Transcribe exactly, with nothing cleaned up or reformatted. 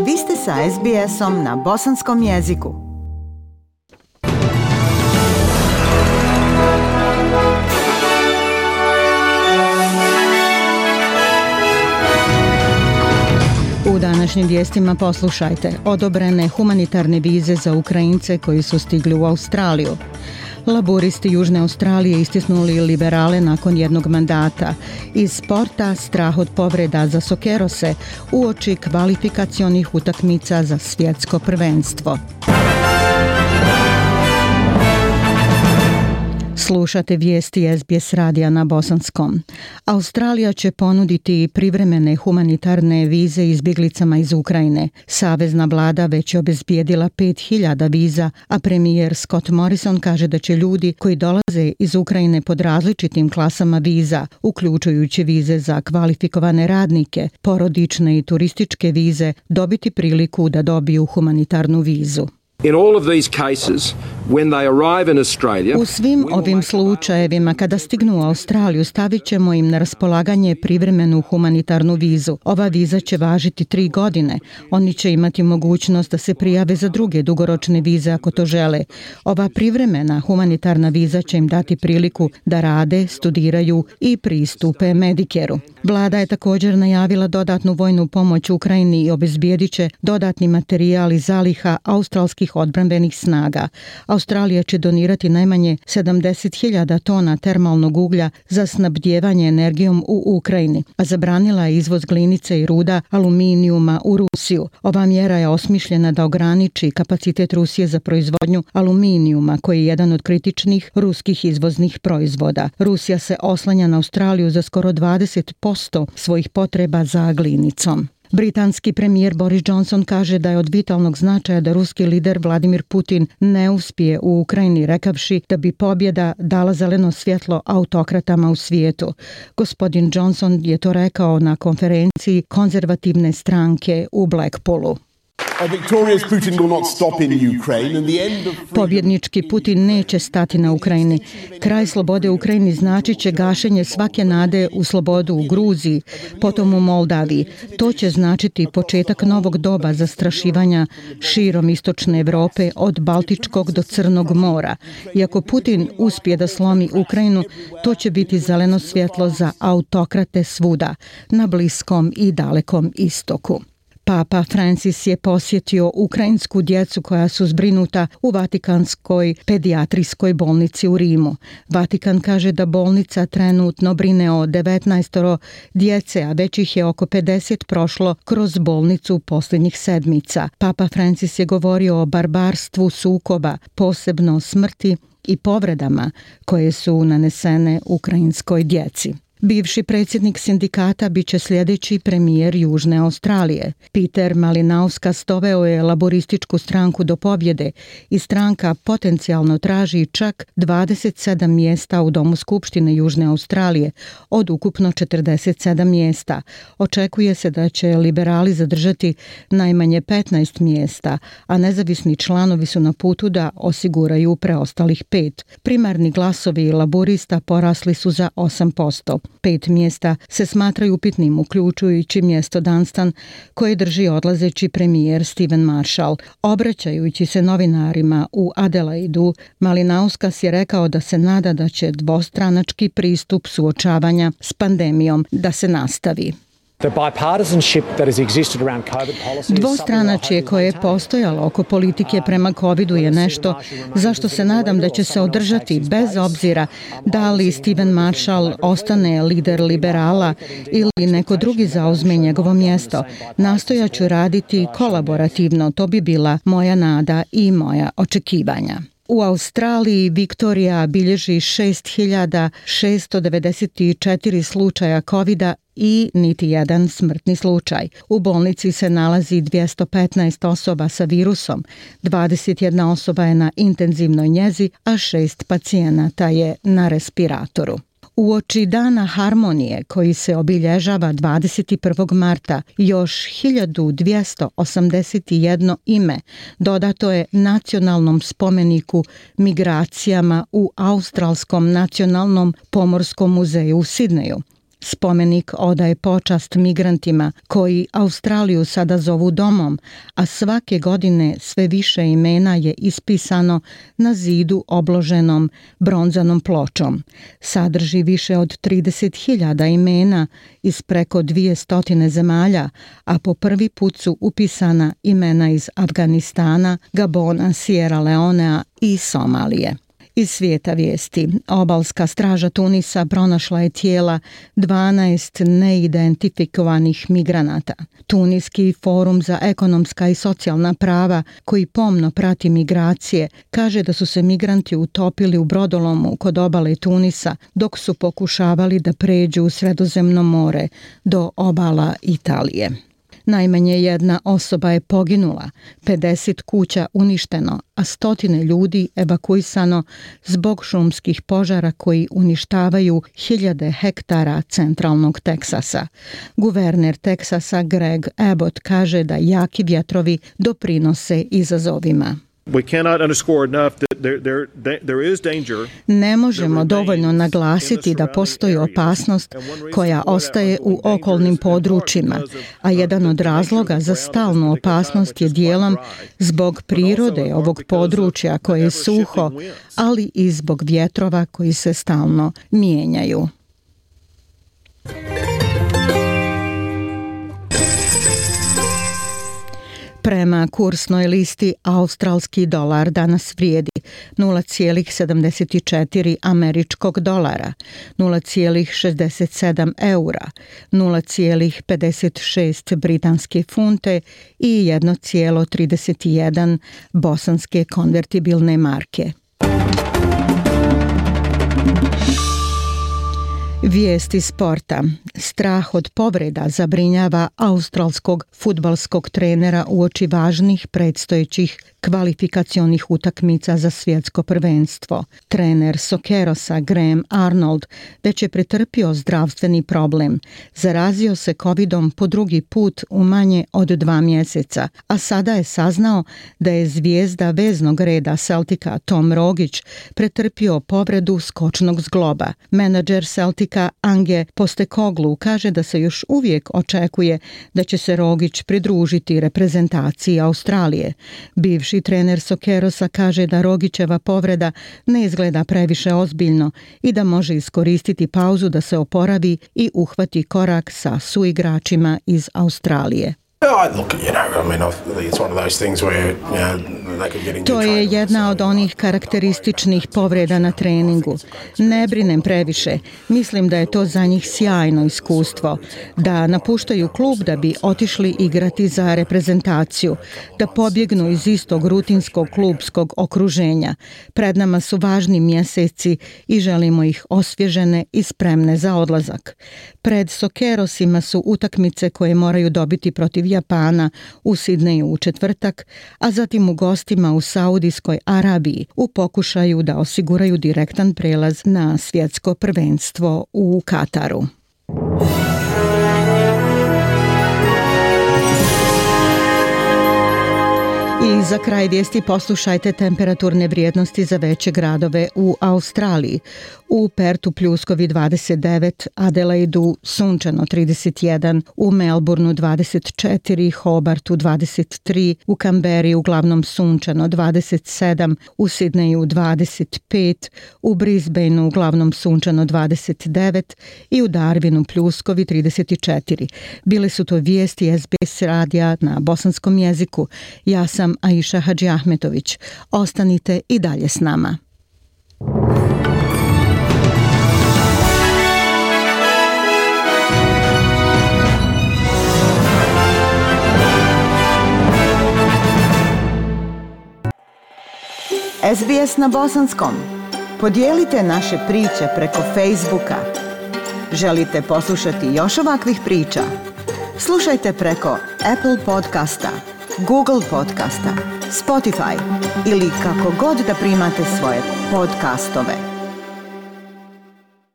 Vi ste sa es bi esom na bosanskom jeziku. U današnjim vijestima poslušajte: odobrene humanitarne vize za Ukrajince koji su stigli u Australiju. Laburisti Južne Australije istisnuli liberale nakon jednog mandata. Iz sporta strah od povreda za Sokerose uoči kvalifikacionih utakmica za svjetsko prvenstvo. Slušate vijesti es bi es radija na bosanskom. Australija će ponuditi privremene humanitarne vize izbjeglicama iz Ukrajine. Savezna vlada već je obezbijedila pet hiljada viza, a premijer Scott Morrison kaže da će ljudi koji dolaze iz Ukrajine pod različitim klasama viza, uključujući vize za kvalifikovane radnike, porodične i turističke vize, dobiti priliku da dobiju humanitarnu vizu. In all of these cases, when they arrive in Australia, u svim ovim slučajevima kada stignu u Australiju stavit ćemo im na raspolaganje privremenu humanitarnu vizu. Ova viza će važiti tri godine. Oni će imati mogućnost da se prijave za druge dugoročne vize ako to žele. Ova privremena humanitarna viza će im dati priliku da rade, studiraju i pristupe Medicare-u. Vlada je također najavila dodatnu vojnu pomoć Ukrajini i obezbijedit će dodatni materijal iz zaliha australskih odbrambenih snaga. Australija će donirati najmanje sedamdeset hiljada tona termalnog uglja za snabdijevanje energijom u Ukrajini, a zabranila je izvoz glinice i ruda aluminijuma u Rusiju. Ova mjera je osmišljena da ograniči kapacitet Rusije za proizvodnju aluminijuma, koji je jedan od kritičnih ruskih izvoznih proizvoda. Rusija se oslanja na Australiju za skoro dvadeset posto svojih potreba za glinicom. Britanski premijer Boris Johnson kaže da je od vitalnog značaja da ruski lider Vladimir Putin ne uspije u Ukrajini, rekavši da bi pobjeda dala zeleno svjetlo autokratama u svijetu. Gospodin Johnson je to rekao na konferenciji konzervativne stranke u Blackpoolu. Pobjednički Putin neće stati na Ukrajini. Kraj slobode u Ukrajini značit će gašenje svake nade u slobodu u Gruziji, potom u Moldaviji. To će značiti početak novog doba zastrašivanja širom istočne Evrope od Baltičkog do Crnog mora. I ako Putin uspije da slomi Ukrajinu, to će biti zeleno svjetlo za autokrate svuda, na Bliskom i Dalekom istoku. Papa Francis je posjetio ukrajinsku djecu koja su zbrinuta u Vatikanskoj pedijatrijskoj bolnici u Rimu. Vatikan kaže da bolnica trenutno brine o devetnaestoro djece, a već ih je oko pedeset prošlo kroz bolnicu posljednjih sedmica. Papa Francis je govorio o barbarstvu sukoba, posebno smrti i povredama koje su nanesene ukrajinskoj djeci. Bivši predsjednik sindikata bit će sljedeći premijer Južne Australije. Peter Malinauskas doveo je laborističku stranku do pobjede i stranka potencijalno traži čak dvadeset sedam mjesta u Domu skupštine Južne Australije od ukupno četrdeset sedam mjesta. Očekuje se da će liberali zadržati najmanje petnaest mjesta, a nezavisni članovi su na putu da osiguraju preostalih pet. Primarni glasovi laborista porasli su za osam posto. Pet mjesta se smatraju upitnim, uključujući mjesto Dunstan koje drži odlazeći premijer Stephen Marshall. Obraćajući se novinarima u Adelaidu, Malinauskas je rekao da se nada da će dvostranački pristup suočavanja s pandemijom da se nastavi. Dvostranačje koje je postojalo oko politike prema covidu je nešto zašto se nadam da će se održati bez obzira da li Stephen Marshall ostane lider liberala ili neko drugi zauzme njegovo mjesto. Nastojaću raditi kolaborativno, to bi bila moja nada i moja očekivanja. U Australiji Viktorija bilježi šest hiljada šesto devedeset četiri slučaja covida i niti jedan smrtni slučaj. U bolnici se nalazi dvjesto petnaest osoba sa virusom, dvadeset jedna osoba je na intenzivnoj njezi, a šest pacijenata je na respiratoru. Uoči Dana harmonije koji se obilježava dvadeset prvog marta, još hiljadu dvjesto osamdeset jedno ime dodato je nacionalnom spomeniku migracijama u Australskom nacionalnom pomorskom muzeju u Sidneju. Spomenik odaje počast migrantima koji Australiju sada zovu domom, a svake godine sve više imena je ispisano na zidu obloženom bronzanom pločom. Sadrži više od trideset hiljada imena iz preko dvjesto zemalja, a po prvi put su upisana imena iz Afganistana, Gabona, Sierra Leonea i Somalije. Iz svijeta vijesti, obalska straža Tunisa pronašla je tijela dvanaest neidentifikovanih migranata. Tuniski forum za ekonomska i socijalna prava, koji pomno prati migracije, kaže da su se migranti utopili u brodolomu kod obale Tunisa dok su pokušavali da pređu u Sredozemno more do obala Italije. Najmanje jedna osoba je poginula, pedeset kuća uništeno, a stotine ljudi evakuisano zbog šumskih požara koji uništavaju hiljade hektara centralnog Teksasa. Guverner Teksasa Greg Abbott kaže da jaki vjetrovi doprinose izazovima. Ne možemo dovoljno naglasiti da postoji opasnost koja ostaje u okolnim područjima, a jedan od razloga za stalnu opasnost je dijelom zbog prirode ovog područja koje je suho, ali i zbog vjetrova koji se stalno mijenjaju. Prema kursnoj listi, australski dolar danas vrijedi nula zarez sedamdeset četiri američkog dolara, nula zarez šezdeset sedam eura, nula zarez pedeset šest britanske funte i jedna zarez trideset jedan bosanske konvertibilne marke. Vijesti sporta. Strah od povreda zabrinjava australskog fudbalskog trenera uoči važnih predstojećih kvalifikacionih utakmica za svjetsko prvenstvo. Trener Sokerosa Graham Arnold već je pretrpio zdravstveni problem. Zarazio se covidom po drugi put u manje od dva mjeseca, a sada je saznao da je zvijezda veznog reda Celtica Tom Rogić pretrpio povredu skočnog zgloba. Menadžer Celtica Ange Postecoglou kaže da se još uvijek očekuje da će se Rogić pridružiti reprezentaciji Australije. Bivši trener Sokerosa kaže da Rogićeva povreda ne izgleda previše ozbiljno i da može iskoristiti pauzu da se oporavi i uhvati korak sa suigračima iz Australije. To je jedna od onih karakterističnih povreda na treningu. Ne brinem previše. Mislim da je to za njih sjajno iskustvo. Da napuštaju klub da bi otišli igrati za reprezentaciju. Da pobjegnu iz istog rutinskog klubskog okruženja. Pred nama su važni mjeseci i želimo ih osvježene i spremne za odlazak. Pred Sokerosima su utakmice koje moraju dobiti protiv Japana u Sidneju u četvrtak, a zatim u gostima u Saudijskoj Arabiji u pokušaju da osiguraju direktan prelaz na svjetsko prvenstvo u Kataru. I za kraj vijesti poslušajte temperaturne vrijednosti za veće gradove u Australiji. U Pertu pljuskovi dvadeset devet, Adelaidu sunčano trideset jedan, u Melbourneu dvadeset četiri, Hobartu dvadeset tri, u Kamberi uglavnom sunčano dvadeset sedam, u Sidneju dvadeset pet, u Brisbaneu uglavnom sunčano dvadeset devet i u Darwinu pljuskovi trideset četiri. Bile su to vijesti S B S radija na bosanskom jeziku. Ja sam Aisha Hadži Ahmetović. Ostanite i dalje s nama. S B S na bosanskom. Podijelite naše priče preko Facebooka. Želite poslušati još ovakvih priča? Slušajte preko Apple podcasta, Google podcasta, Spotify ili kako god da primate svoje podcastove.